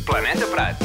Planeta Prat.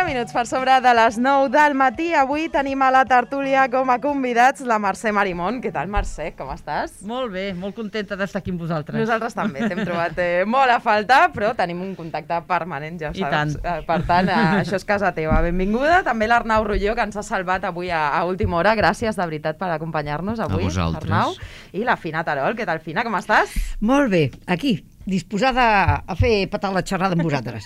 Minuts per sobre de les 9 del matí. Avui tenim a la tertúlia com a convidats la Mercè Marimón. Què tal, Mercè? Com estàs? Molt bé, molt contenta d'estar aquí amb vosaltres. Nosaltres també t'hem trobat molt a faltar, però tenim un contacte permanent, ja ho saps. Per tant, això és casa teva. Benvinguda. També l'Arnau Rulló, que ens ha salvat avui a última hora. Gràcies, de veritat, per acompanyar-nos avui. A vosaltres. Arnau. I la Fina Terol. Què tal, Fina? Com estàs? Molt bé, aquí, disposada a fer petar la xerrada amb vosaltres.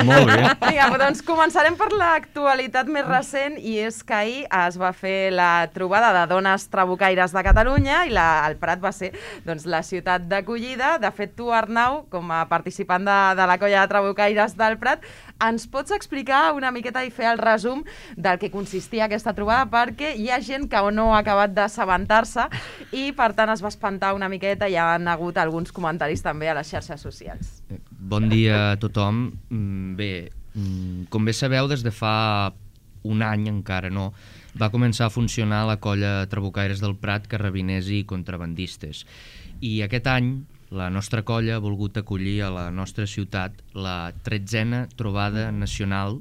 Molt bé. Vinga, doncs començarem per l'actualitat més recent, i és que ahir es va fer la trobada de dones trabucaires de Catalunya i el Prat va ser doncs, la ciutat d'acollida. De fet, tu, Arnau, com a participant de la colla de trabucaires del Prat, ens pots explicar una miqueta i fer el resum del que consistia aquesta trobada, perquè hi ha gent que no ha acabat d'assabentar-se i, per tant, es va espantar una miqueta i hi ha hagut alguns comentaris també a les xarxes socials. Bon dia a tothom. Bé, com bé sabeu, des de fa un any encara no, va començar a funcionar la colla Trabucaires del Prat, carrabiners i contrabandistes. I aquest any la nostra colla ha volgut acollir a la nostra ciutat la 13a Trobada Nacional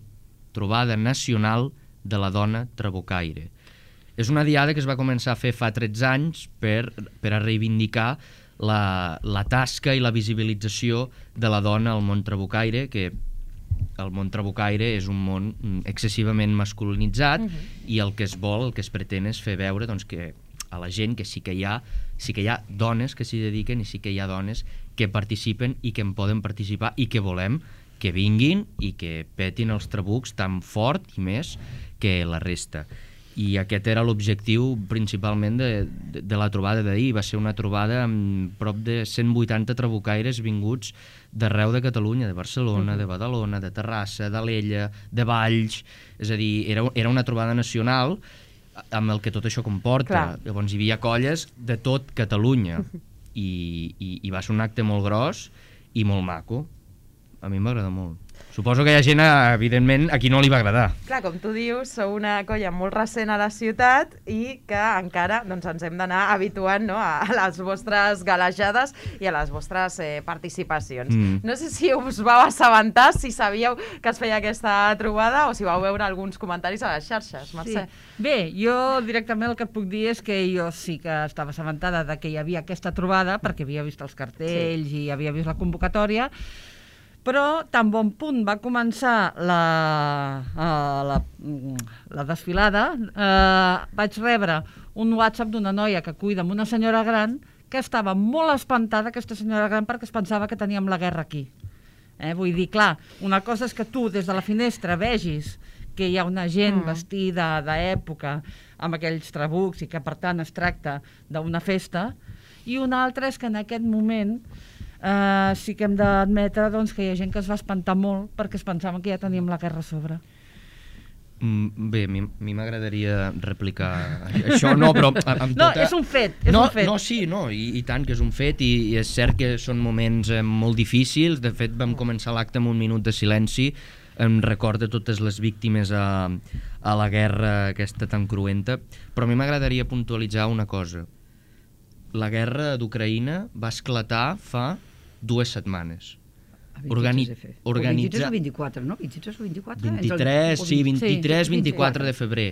de la Dona Trabucaire. És una diada que es va començar a fer fa 13 anys per a reivindicar la tasca i la visibilització de la dona al món trabucaire, que el món trabucaire és un món excessivament masculinitzat i el que es vol, el que es pretén és fer veure doncs, que a la gent que sí que hi ha dones que s'hi dediquen i sí que hi ha dones que participen i que en poden participar i que volem que vinguin i que petin els trabucs tan fort i més que la resta. I aquest era l'objectiu principalment de la trobada d'ahir. Va ser una trobada amb prop de 180 trabucaires vinguts d'arreu de Catalunya, de Barcelona, de Badalona, de Terrassa, d'Alella, de Valls. És a dir, era una trobada nacional amb el que tot això comporta. Clar. Llavors hi havia colles de tot Catalunya i va ser un acte molt gros i molt maco. A mi m'agrada molt. Suposo que hi ha gent, evidentment, a qui no li va agradar. Clar, com tu dius, sou una colla molt recent a la ciutat i que encara doncs, ens hem d'anar habituant, no?, a les vostres galejades i a les vostres participacions. No sé si us vau assabentar, si sabíeu que es feia aquesta trobada o si vau veure alguns comentaris a les xarxes, Mercè. Sí. Bé, jo directament el que et puc dir és que jo sí que estava assabentada de que hi havia aquesta trobada perquè havia vist els cartells i havia vist la convocatòria, però tan bon punt va començar la desfilada, vaig rebre un WhatsApp d'una noia que cuida amb una senyora gran que estava molt espantada, aquesta senyora gran, perquè es pensava que teníem la guerra aquí. Vull dir, clar, una cosa és que tu des de la finestra vegis que hi ha una gent vestida d'època amb aquells trabucs i que per tant es tracta d'una festa, i una altra és que en aquest moment sí que hem d'admetre doncs, que hi ha gent que es va espantar molt perquè es pensaven que ja teníem la guerra a sobre. Bé, a mi m'agradaria replicar això, no, però amb No, tota... és un fet, és un fet. No, sí, no, i tant que és un fet, i és cert que són moments molt difícils. De fet, vam començar l'acte amb un minut de silenci en record de totes les víctimes a la guerra aquesta tan cruenta, però a mi m'agradaria puntualitzar una cosa. La guerra d'Ucraïna va esclatar fa 2 setmanes. 23 o 24, no? 23 o 24? 23, sí, 23, Sí, 24 de febrer.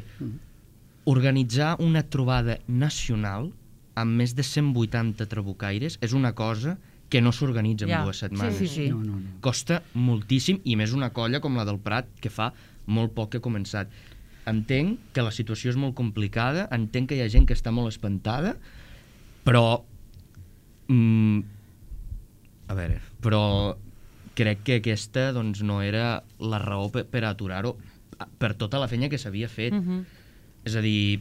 Organitzar una trobada nacional amb més de 180 trabucaires és una cosa que no s'organitza en 2 setmanes. Sí. No. Costa moltíssim, i més una colla com la del Prat, que fa molt poc que ha començat. Entenc que la situació és molt complicada, entenc que hi ha gent que està molt espantada, però... a veure, però crec que aquesta doncs, no era la raó per aturar-ho per tota la feina que s'havia fet. És a dir,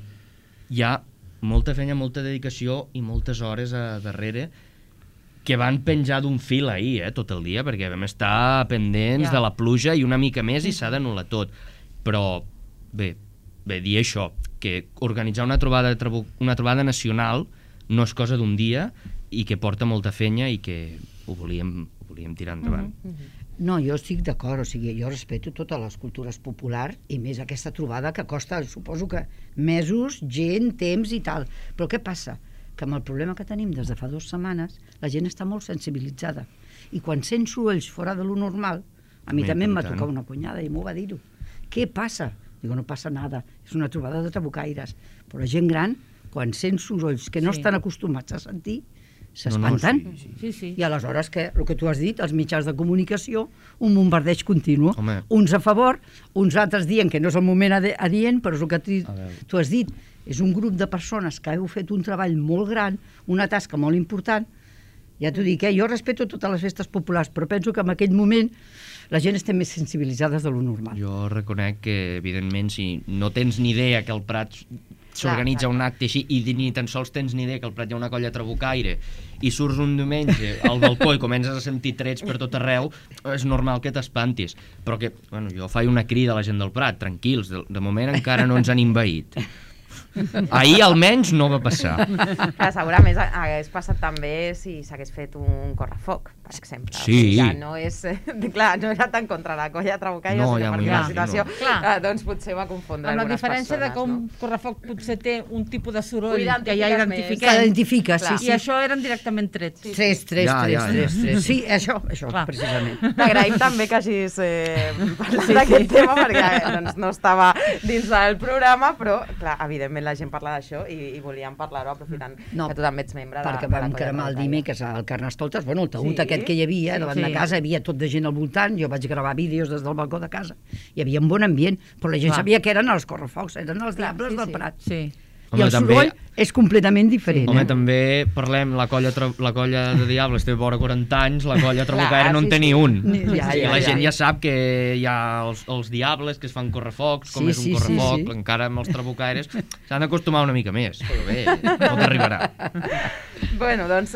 hi ha molta feina, molta dedicació i moltes hores a darrere que van penjar d'un fil ahir, tot el dia, perquè vam estar pendents de la pluja i una mica més i s'ha d'anul·lar tot. Però, bé, dir això, que organitzar una trobada nacional no és cosa d'un dia i que porta molta feina i que ho volíem tirar endavant. No, jo estic d'acord, o sigui, jo respeto totes les cultures populars i més aquesta trobada que costa, suposo que mesos, gent, temps i tal. Però què passa? Que amb el problema que tenim des de fa 2 setmanes, la gent està molt sensibilitzada. I quan sent sorolls fora de lo normal, a mi també em va tocar una cunyada i m'ho va dir-ho. Què passa? Digo, no passa nada, és una trobada de trabucaires. Però la gent gran, quan sent sorolls que no estan acostumats a sentir, s'espanten. Sí. I aleshores, el que tu has dit, els mitjans de comunicació, un bombardeig continu. Home. Uns a favor, uns altres dient que no és el moment adient, però és el que tu has dit. És un grup de persones que heu fet un treball molt gran, una tasca molt important. Ja t'ho dic, jo respeto totes les festes populars, però penso que en aquell moment la gent està més sensibilitzada de lo normal. Jo reconec que, evidentment, si no tens ni idea que el Prat s'organitza un acte així i ni tan sols tens ni idea que al Prat hi ha una colla trabucaire i surts un diumenge al balcó i comences a sentir trets per tot arreu, és normal que t'espantis. Però que, bueno, jo faig una crida a la gent del Prat, tranquils, de moment encara no ens han envaït. Ahir almenys no va passar. Clar, segurament hagués passat també si s'hagués fet un correfoc, per exemple. Sí. Ja no és... Clar, no era tant contra la colla trabucaire, No, sinó ja m'ho perquè la imagino. situació doncs potser va confondre Amb la algunes diferència persones. de que un correfoc potser té un tipus de soroll Ho que ja identifiques Que identifiquem, identifica, sí. i això eren directament trets. Tres. Sí, això, Clar. precisament. T'agraïm també que hagis parlat d'aquest tema, perquè doncs, no estava dins del programa, però, clar, evidentment la gent parla d'això i volíem parlar-ho aprofitant que tu també ets membre de la perquè colla vam cremar el trabucaire. dimecres al Carnestoltes, bueno, el taüt Sí. aquest que hi havia, davant de casa, hi havia tot de gent al voltant, jo vaig gravar vídeos des del balcó de casa, hi havia un bon ambient, però la gent Clar. sabia que eren els correfocs, eren els diables del Prat. Sí. I Home, el també- soroll és completament diferent. Home, també parlem, la colla de Diables té vora 40 anys, la colla trabucaire Clar, no en sí, té ni sí. un. Ja, I la gent ja sap que hi ha els Diables que es fan correfocs, com Sí, és un sí, correfoc, sí, sí. encara amb els trabucaires s'han d'acostumar una mica més, però bé, tot arribarà. Bueno, doncs,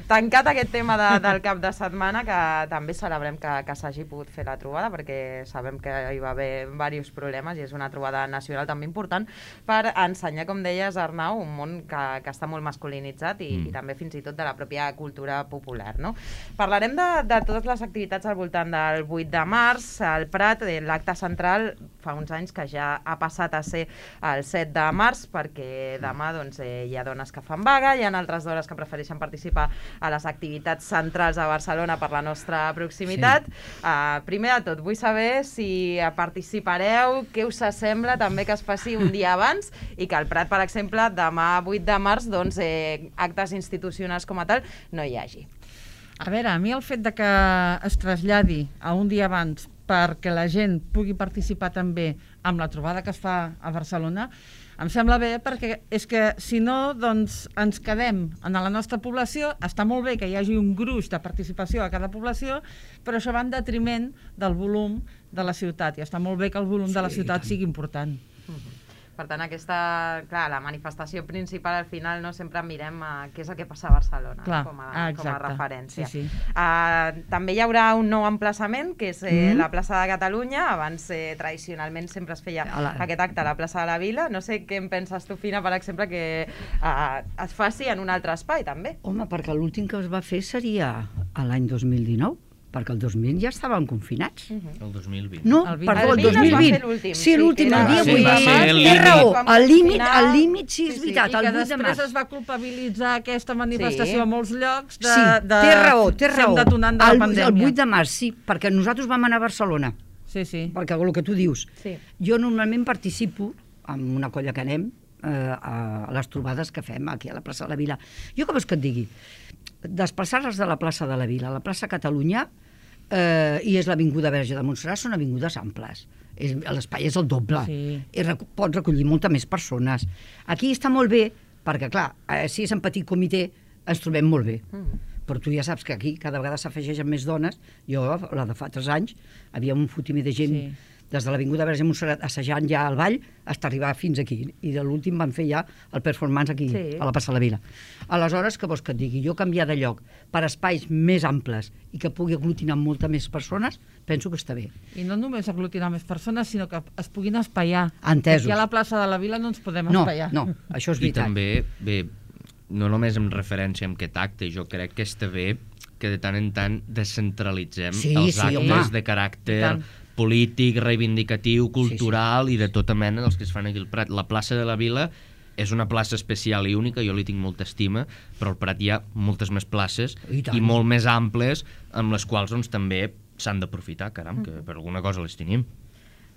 tancat aquest tema del cap de setmana, que també celebrem que s'hagi pogut fer la trobada, perquè sabem que hi va haver diversos problemes i és una trobada nacional també important per ensenyar, com deies, Arnau, un món que està molt masculinitzat i també fins i tot de la pròpia cultura popular, no? Parlarem de totes les activitats al voltant del 8 de març. Al Prat, l'acte central, fa uns anys que ja ha passat a ser el 7 de març, perquè demà doncs, hi ha dones que fan vaga, hi ha altres dones que prefereixen participar a les activitats centrals a Barcelona per la nostra proximitat. Primer de tot, vull saber si participareu, què us sembla també que es faci un dia abans i que al Prat, per exemple, demà 8 de març, doncs, actes institucionals com a tal no hi hagi. A veure, a mi el fet de que es traslladi a un dia abans perquè la gent pugui participar també amb la trobada que es fa a Barcelona, em sembla bé, perquè és que si no, doncs ens quedem en la nostra població. Està molt bé que hi hagi un gruix de participació a cada població, però això va en detriment del volum de la ciutat, i està molt bé que el volum de la ciutat sigui important. Per tant, la manifestació principal al final no sempre mirem què és el que passa a Barcelona com a referència. Sí. També hi haurà un nou emplaçament, que és la plaça de Catalunya. Abans, tradicionalment, sempre es feia aquest acte a la plaça de la Vila. No sé què en penses tu, Fina, per exemple, que es faci en un altre espai, també. Home, perquè l'últim que es va fer seria l'any 2019. Perquè el 2000 ja estaven confinats. El 2020. No, perdó, el 2020. Sí, l'últim, el dia 8 de març. Té raó, el límit sí és veritat, el 8 de març. I que després es va culpabilitzar aquesta manifestació a molts llocs de... Sí, té raó. Detonant de la pandèmia. El 8 de març, sí, perquè nosaltres vam anar a Barcelona. Sí. Perquè el que tu dius. Sí. Jo normalment participo amb una colla que anem a les trobades que fem aquí a la plaça de la Vila. Jo què vols que et digui? Desplaçar-les de la plaça de la Vila a la plaça Catalunya i és l'Avinguda Verge de Montserrat, són avingudes amples. L'espai és el doble. Sí. Pot recollir moltes més persones. Aquí està molt bé, perquè clar, si és en petit comitè, ens trobem molt bé. Però tu ja saps que aquí cada vegada s'afegeixen més dones. Jo, la de fa 3 anys, havia un fotimer de gent des de l'Avinguda Verge de Montserrat assajant ja al ball fins arribar fins aquí. I de l'últim van fer ja el performance aquí, a la plaça de la Vila. Aleshores, què vols que et digui? Jo canviar de lloc per espais més amples i que pugui aglutinar moltes més persones, penso que està bé. I no només aglutinar més persones, sinó que es puguin espaiar. Entesos. Aquí a la plaça de la Vila no ens podem espaiar. No, això és veritat. I també, no només en referència amb aquest acte, jo crec que està bé que de tant en tant descentralitzem els actes de caràcter polític, reivindicatiu, cultural i de tota mena dels que es fan aquí al Prat. La plaça de la Vila és una plaça especial i única, jo li tinc molta estima, però al Prat hi ha moltes més places i molt més amples amb les quals també s'han d'aprofitar, caram, que per alguna cosa les tenim.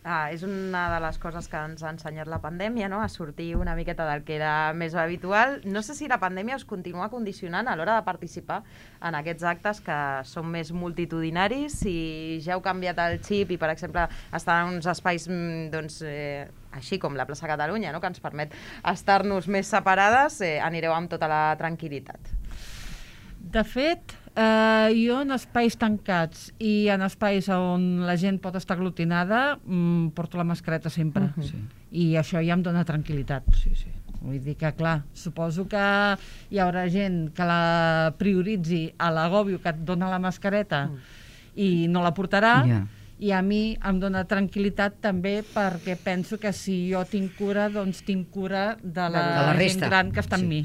És una de les coses que ens ha ensenyat la pandèmia, no? A sortir una miqueta del que era més habitual. No sé si la pandèmia us continua condicionant a l'hora de participar en aquests actes que són més multitudinaris, si ja heu canviat el xip i, per exemple, estar en uns espais així com la plaça Catalunya, no? Que ens permet estar-nos més separades, anireu amb tota la tranquil·litat. De fet, jo en espais tancats i en espais on la gent pot estar aglutinada porto la mascareta sempre. I això ja em dona tranquil·litat. Vull dir que, clar, suposo que hi haurà gent que la prioritzi a l'agòbio que et dona la mascareta i no la portarà, i a mi em dona tranquil·litat també perquè penso que si jo tinc cura, doncs tinc cura de la gent gran que està amb mi.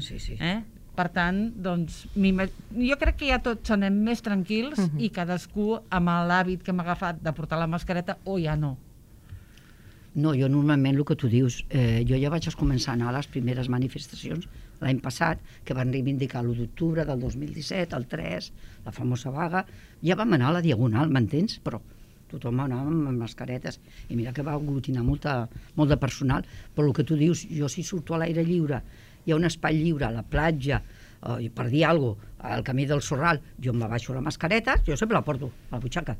Per tant, doncs, jo crec que ja tots anem més tranquils i cadascú amb l'hàbit que hem agafat de portar la mascareta o ja no. No, jo normalment el que tu dius, jo ja vaig començar a anar a les primeres manifestacions l'any passat, que van reivindicar l'1 d'octubre del 2017, el 3, la famosa vaga, ja vam anar a la Diagonal, m'entens? Però tothom anava amb mascaretes i mira que va aglutinar molt de personal, però el que tu dius, jo si surto a l'aire lliure, hi ha un espai lliure a la platja, per dir alguna cosa, al camí del Sorral, jo em baixo la mascareta, jo sempre la porto a la butxaca.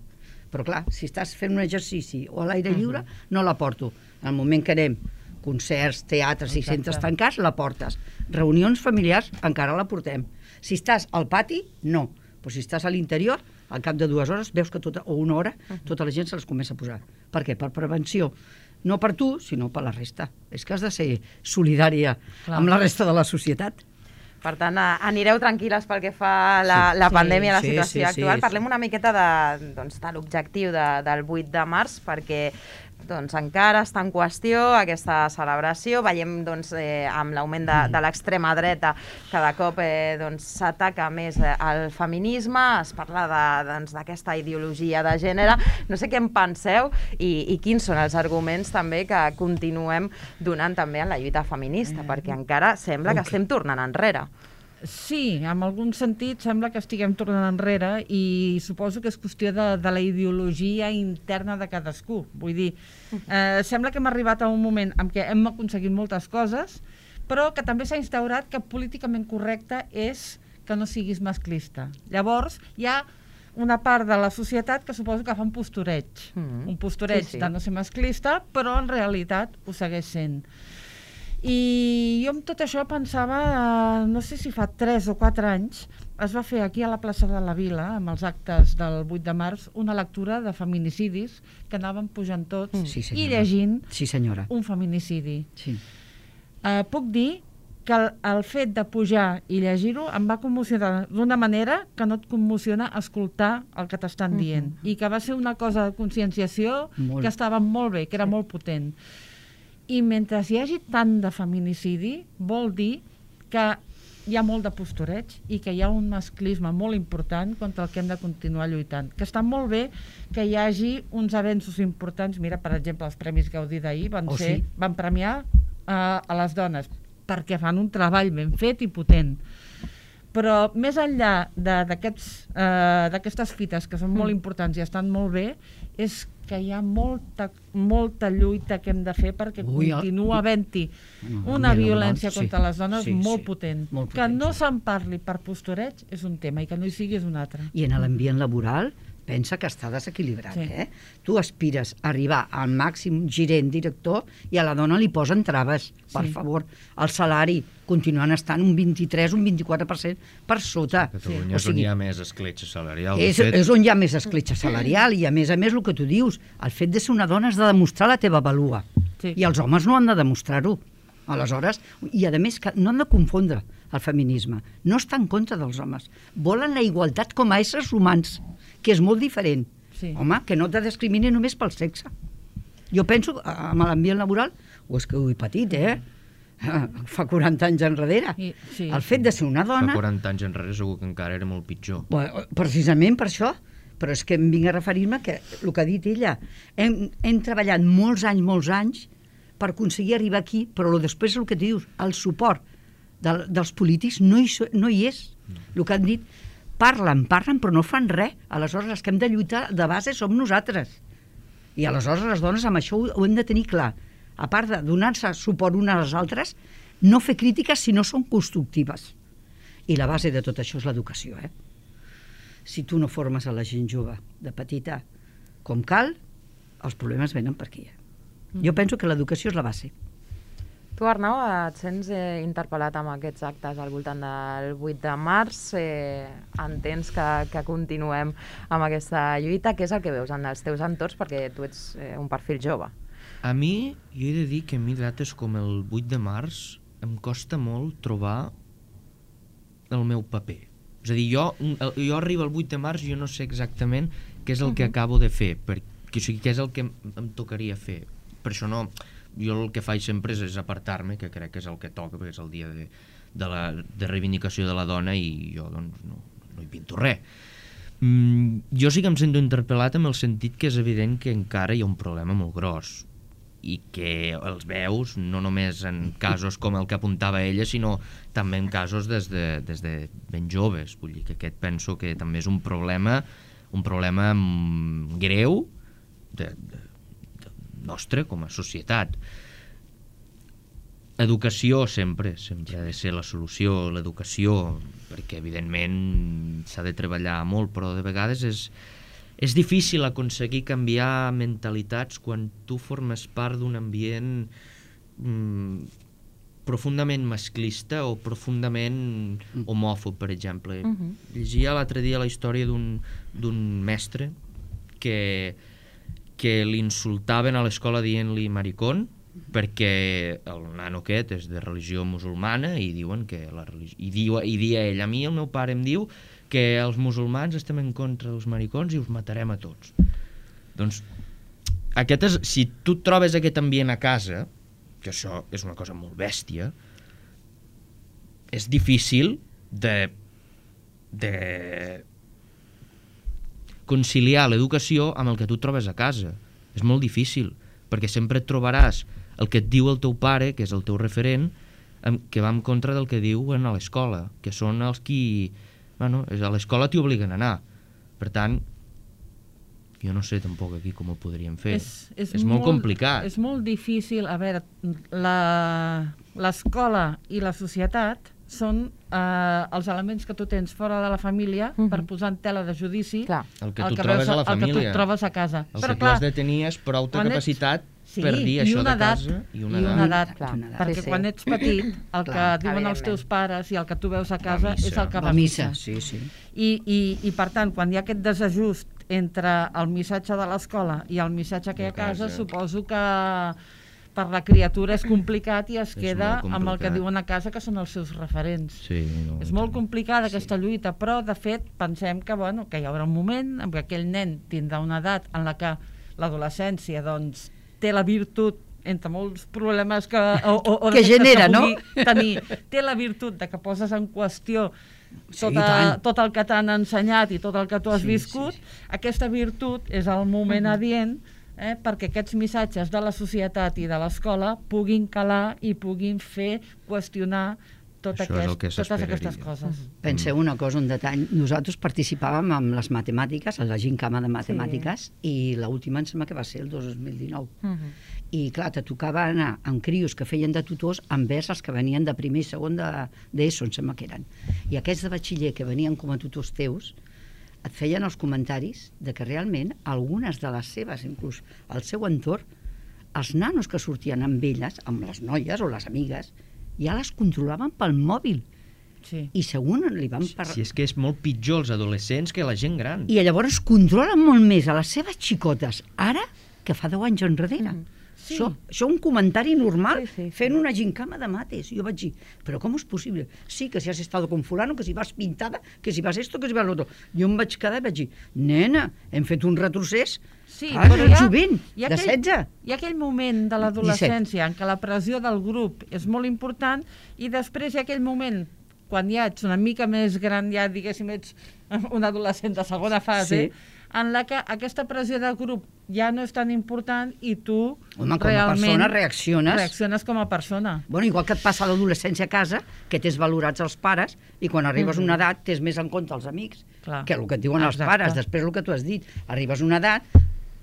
Però clar, si estàs fent un exercici o a l'aire lliure, no la porto. En el moment que anem, concerts, teatres i centres tancats, la portes. Reunions familiars, encara la portem. Si estàs al pati, no. Però si estàs a l'interior, al cap de 2 hores, veus que o 1 hora, tota la gent se les comença a posar. Per què? Per prevenció. No per tu, sinó per la resta. És que has de ser solidària amb la resta de la societat. Per tant, anireu tranquil·les pel que fa a la pandèmia, a la situació actual. Parlem una miqueta de l'objectiu del 8 de març, perquè encara està en qüestió aquesta celebració. Veiem amb l'augment de l'extrema dreta cada cop s'ataca més el feminisme, es parla d'aquesta ideologia de gènere. No sé què en penseu i quins són els arguments també que continuem donant també en la lluita feminista, perquè encara sembla que estem tornant enrere. Sí, en algun sentit sembla que estiguem tornant enrere i suposo que és qüestió de la ideologia interna de cadascú. Vull dir, sembla que hem arribat a un moment en què hem aconseguit moltes coses, però que també s'ha instaurat que políticament correcte és que no siguis masclista. Llavors, hi ha una part de la societat que suposo que fa un postureig. Un postureig de no ser masclista, però en realitat ho segueix sent. I jo amb tot això pensava, no sé si fa 3 o 4 anys, es va fer aquí a la plaça de la Vila, amb els actes del 8 de març, una lectura de feminicidis que anaven pujant tots Sí, i senyora. llegint Sí, senyora. un feminicidi. Sí. Puc dir que el fet de pujar i llegir-ho em va commocionar d'una manera que no et commociona escoltar el que t'estan dient. I que va ser una cosa de conscienciació Molt. que estava molt bé, que era molt potent. I mentre hi hagi tant de feminicidi, vol dir que hi ha molt de postureig i que hi ha un masclisme molt important contra el que hem de continuar lluitant. Que està molt bé que hi hagi uns avenços importants. Mira, per exemple, els Premis Gaudí d'ahir van premiar a les dones perquè fan un treball ben fet i potent. Però més enllà d'aquestes fites que són molt importants i estan molt bé, és que hi ha molta lluita que hem de fer perquè continua havent-hi una violència contra les dones molt potent. Que no se'n parli per postureig és un tema i que no hi sigui és un altre. I en l'ambient laboral pensa que està desequilibrat, Tu aspires a arribar al màxim gerent, director, i a la dona li posen traves, per favor. El salari continuant estant un 23, un 24% per sota. Catalunya és on hi ha més escletxa salarial. És on hi ha més escletxa salarial i, a més, el que tu dius, el fet de ser una dona has de demostrar la teva vàlua. I els homes no han de demostrar-ho. Aleshores, i a més que no han de confondre el feminisme. No està en contra dels homes. Volen la igualtat com a éssers humans, que és molt diferent. Home, que no te discrimini només pel sexe. Jo penso, amb l'ambient laboral, o és que ho he patit, fa 40 anys enrere. El fet de ser una dona... Fa 40 anys enrere segur que encara era molt pitjor. Precisament per això. Però és que em vinc a referir-me que el que ha dit ella, hem treballat molts anys per aconseguir arribar aquí, però després el que dius, el suport dels polítics no hi és. El que han dit, parlen, però no fan res. Aleshores, els que hem de lluitar de base som nosaltres. I aleshores les dones amb això ho hem de tenir clar. A part de donar-se suport unes a les altres, no fer crítiques si no són constructives. I la base de tot això és l'educació, Si tu no formes a la gent jove de petita com cal, els problemes venen per aquí. Jo penso que l'educació és la base. Tu, Arnau, et sents interpel·lat amb aquests actes al voltant del 8 de març. Entens que continuem amb aquesta lluita. Què és el que veus en els teus entorns? Perquè tu ets un perfil jove. A mi, jo he de dir que a mi dates com el 8 de març em costa molt trobar el meu paper. És a dir, jo arribo al 8 de març i jo no sé exactament què és el que acabo de fer, o sigui, què és el que em tocaria fer. Per això no... Jo el que faig sempre és apartar-me, que crec que és el que toca, perquè és el dia de reivindicació de la dona i jo doncs no hi pinto res. Jo sí que em sento interpel·lat en el sentit que és evident que encara hi ha un problema molt gros i que els veus no només en casos com el que apuntava ella, sinó també en casos des de ben joves. Vull dir que aquest penso que també és un problema greu nostre com a societat. Educació sempre ha de ser la solució, l'educació, perquè evidentment s'ha de treballar molt, però de vegades és difícil aconseguir canviar mentalitats quan tu formes part d'un ambient profundament masclista o profundament homòfob, per exemple. Llegia l'altre dia la història d'un mestre que l'insultaven a l'escola dient-li maricón perquè el nano aquest és de religió musulmana i diuen que i dia ell, a mi el meu pare em diu que els musulmans estem en contra dels maricons i us matarem a tots. Doncs si tu trobes aquest ambient a casa, que això és una cosa molt bèstia, és difícil de conciliar l'educació amb el que tu trobes a casa. És molt difícil, perquè sempre et trobaràs el que et diu el teu pare, que és el teu referent, que va en contra del que diuen a l'escola, que són els qui... Bueno, a l'escola t'hi obliguen a anar. Per tant, jo no sé tampoc aquí com ho podríem fer. És molt complicat. És molt difícil. A veure, l'escola i la societat són els elements que tu tens fora de la família per posar en tela de judici el que tu trobes a la família. El que tu trobes a casa. Els segles de tenir és prou capacitat per dir i això una de casa i una edat. Clar. Perquè Sí, sí. quan ets petit, el que Clar, diuen els teus pares i el que tu veus a casa és el que La vas missa, mitjar. sí. I per tant, quan hi ha aquest desajust entre el missatge de l'escola i el missatge que hi ha a casa, suposo que per la criatura és complicat i es queda molt amb el que complicat. diuen a casa, que són els seus referents. Sí, no, És molt complicada aquesta lluita, però de fet pensem que, bueno, que hi haurà un moment en què aquell nen tindrà una edat en la que l'adolescència doncs, té la virtut, entre molts problemes que Que genera, que no? pugui tenir, té la virtut de que poses en qüestió Sí, i tant. tot el que t'han ensenyat i tot el que tu has Sí, viscut. sí. Aquesta virtut és el moment adient perquè aquests missatges de la societat i de l'escola puguin calar i puguin fer qüestionar Això és el que totes s'esperaria. aquestes coses. Penseu una cosa, un detall. Nosaltres participàvem amb les matemàtiques, a la gincama de matemàtiques, i l'última em sembla que va ser el 2019. I clar, te tocava anar amb crios que feien de tutors envers els que venien de primer i segon d'ESO, em sembla que eren. I aquests de batxiller que venien com a tutors teus et feien els comentaris de que realment algunes de les seves, inclús el seu entorn, els nanos que sortien amb elles, amb les noies o les amigues, ja les controlaven pel mòbil. Sí. I segon li van Si és que és molt pitjor els adolescents que la gent gran. I llavors controlen molt més a les seves xicotes ara que fa 10 anys enrere. Sí. Això un comentari normal, Sí, sí, sí. fent una gincama de mates. Jo vaig dir, però com és possible? Sí, que si has estado con fulano, que si vas pintada, que si vas esto, que si vas l'altre. Jo em vaig quedar i vaig dir, nena, hem fet un retrocés. Sí, Clar, però és jovent, hi ha de 16. Hi ha aquell moment de l'adolescència en què la pressió del grup és molt important i després hi ha aquell moment quan ja ets una mica més gran, ja diguéssim ets un adolescent de segona fase, Sí. en la que aquesta pressió de grup ja no és tan important i tu Home, com a realment persona reacciones. com a persona. Bueno, igual que et passa a l'adolescència a casa, que tens valorats els pares i quan arribes a una edat tens més en compte els amics Clar. que el que et diuen els Exacte. pares. Després el que tu has dit, arribes a una edat,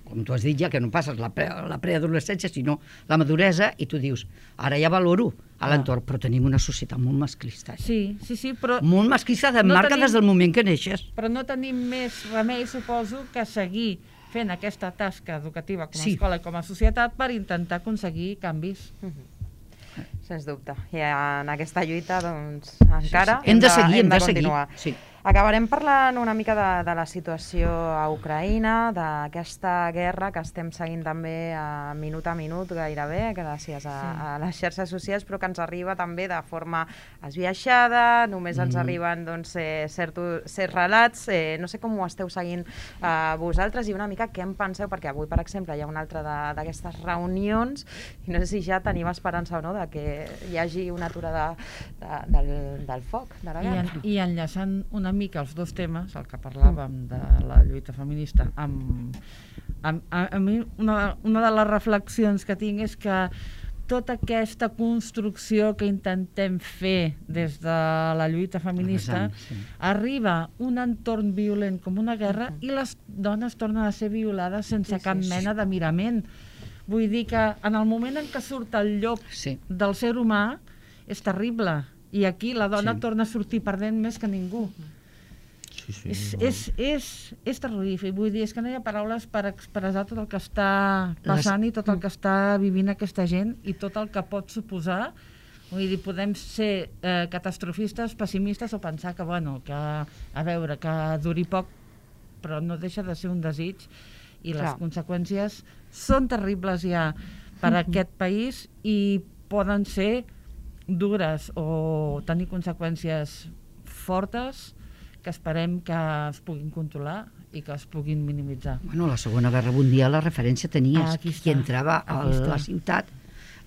com tu has dit ja, que no passes la preadolescència, sinó la maduresa, i tu dius, ara ja valoro a l'entorn, però tenim una societat molt masclista. Sí, però Molt masclista, No marca tenim- des del moment que neixes. però no tenim més remei, suposo, que seguir fent aquesta tasca educativa com a Sí. escola i com a societat per intentar aconseguir canvis. Sens dubte. I en aquesta lluita, doncs, encara Hem de seguir, hem de continuar. seguir. Sí. Acabarem parlant una mica de la situació a Ucraïna, d'aquesta guerra que estem seguint també a minut gairebé, gràcies a les xarxes socials, però que ens arriba també de forma esbiaixada, només ens arriben doncs, certs relats. No sé com ho esteu seguint vosaltres i una mica què en penseu, perquè avui, per exemple, hi ha una altra d'aquestes reunions i no sé si ja tenim esperança o no de que hi hagi una aturada del foc, de la guerra. I enllaçant una mica els dos temes, el que parlàvem de la lluita feminista, a mi una de les reflexions que tinc és que tota aquesta construcció que intentem fer des de la lluita feminista arriba un entorn violent com una guerra i les dones tornen a ser violades sense cap mena de mirament. Vull dir que en el moment en què surt el llop del ser humà és terrible i aquí la dona torna a sortir perdent més que ningú. És terrorífic, vull dir, és que no hi ha paraules per expressar tot el que està passant i tot el que està vivint aquesta gent i tot el que pot suposar. Vull dir, podem ser catastrofistes, pessimistes o pensar que, bueno, que, a veure, que duri poc, però no deixa de ser un desig i les conseqüències són terribles ja per a aquest país i poden ser dures o tenir conseqüències fortes que esperem que es puguin controlar i que es puguin minimitzar. Bueno, la Segona Guerra Mundial la referència tenies. Qui entrava a la ciutat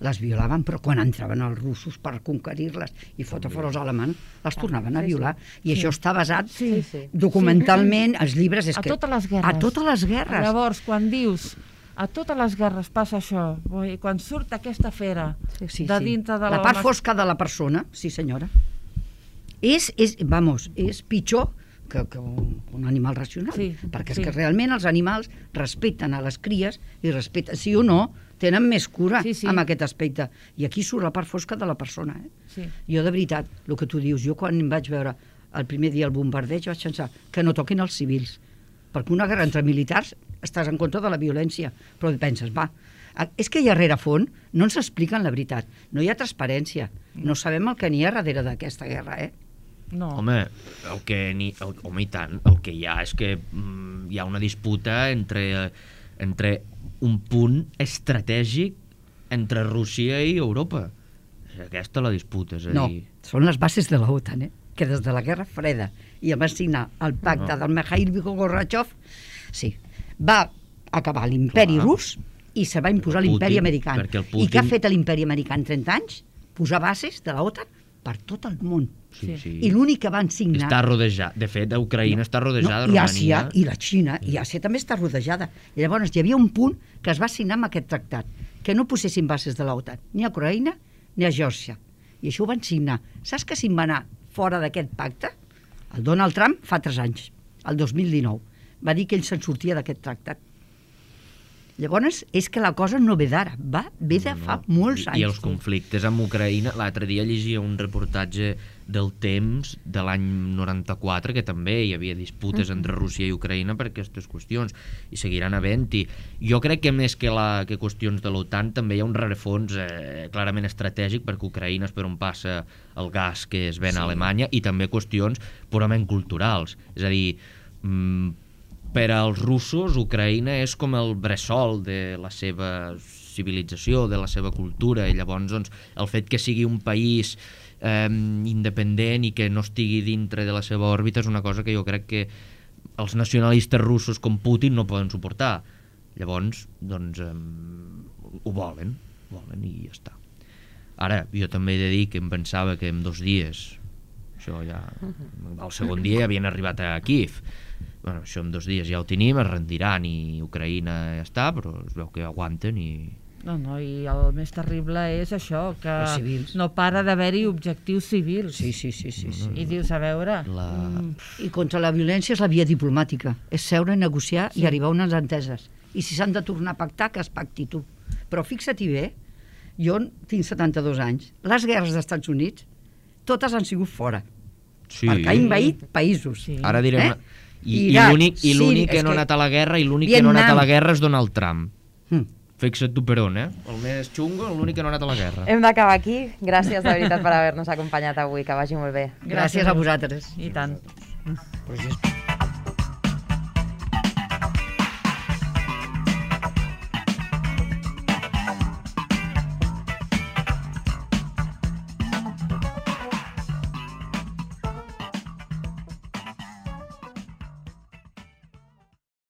les violaven, però quan entraven els russos per conquerir-les i fotre fora els alemans, les tornaven a violar. I això està basat documentalment, els llibres... A totes les guerres. A totes les guerres. Llavors, quan dius a totes les guerres passa això, quan surt aquesta fera de dintre de la part fosca de la persona, sí senyora, és pitjor que un animal racional, perquè és que realment els animals respecten a les cries i respecten, sí o no, tenen més cura amb aquest aspecte. I aquí surt la part fosca de la persona. Jo, de veritat, el que tu dius, jo quan vaig veure el primer dia el bombardeig vaig pensar que no toquin els civils, perquè una guerra entre militars estàs en contra de la violència, però penses, va, És que hi ha rerefons, no ens expliquen la veritat. No hi ha transparència. No sabem el que n'hi ha darrere d'aquesta guerra, No. Home, home, i tant, el que hi ha és que hi ha una disputa entre un punt estratègic entre Rússia i Europa. És aquesta la disputa, és a No, dir... són les bases de l'OTAN, que des de la Guerra Freda i va signar el pacte del Mikhail Gorbachev, sí, va acabar l'imperi rus i se va imposar l'imperi americà. I què ha fet l'imperi americà en 30 anys? Posar bases de l'OTAN per tot el món. Sí. I l'únic que van signar... Està rodejada. De fet, Ucraïna està rodejada. I Àsia, i la Xina, i Àsia també està rodejada. I llavors hi havia un punt que es va signar amb aquest tractat, que no posessin bases de l'OTAN, ni a Ucraïna ni a Geòrgia. I això ho van signar. Saps que se'n va anar fora d'aquest pacte? El Donald Trump fa 3 anys, el 2019. Va dir que ell se'n sortia d'aquest tractat. Llavors, és que la cosa no ve d'ara, ve de fa molts anys. I els conflictes amb Ucraïna... L'altre dia llegia un reportatge del Temps de l'any 94, que també hi havia disputes entre Rússia i Ucraïna per aquestes qüestions, i seguiran havent-hi. Jo crec que més que qüestions de l'OTAN també hi ha un rerefons clarament estratègic, perquè Ucraïna és per on passa el gas que es ven a Alemanya, i també qüestions purament culturals. És a dir, per als russos, Ucraïna és com el bressol de la seva civilització, de la seva cultura, i llavors doncs, el fet que sigui un país independent i que no estigui dintre de la seva òrbita és una cosa que jo crec que els nacionalistes russos com Putin no poden suportar. Llavors, doncs, ho volen i ja està. Ara, jo també he de dir que em pensava que en 2 dies, això ja, el segon dia ja havien arribat a Kíev. Bueno, això en 2 dies ja ho tenim, es rendiran i Ucraïna ja està, però es veu que aguanten i... No, i el més terrible és això, que no para d'haver-hi objectius civils. Sí. I dius, a veure... I contra la violència és la via diplomàtica, és seure, negociar i arribar a unes enteses. I si s'han de tornar a pactar, que es pacti tu. Però fixa-t'hi bé, jo tinc 72 anys, les guerres dels Estats Units, totes han sigut fora, perquè ha envaït països. Ara direm... I l'únic que no ha anat a la guerra és Donald Trump. Fixa't tu per on, El més xungo, l'únic que no ha anat a la guerra. Hem d'acabar aquí. Gràcies de veritat per haver-nos acompanyat avui. Que vagi molt bé. Gràcies a vosaltres. I tant. Però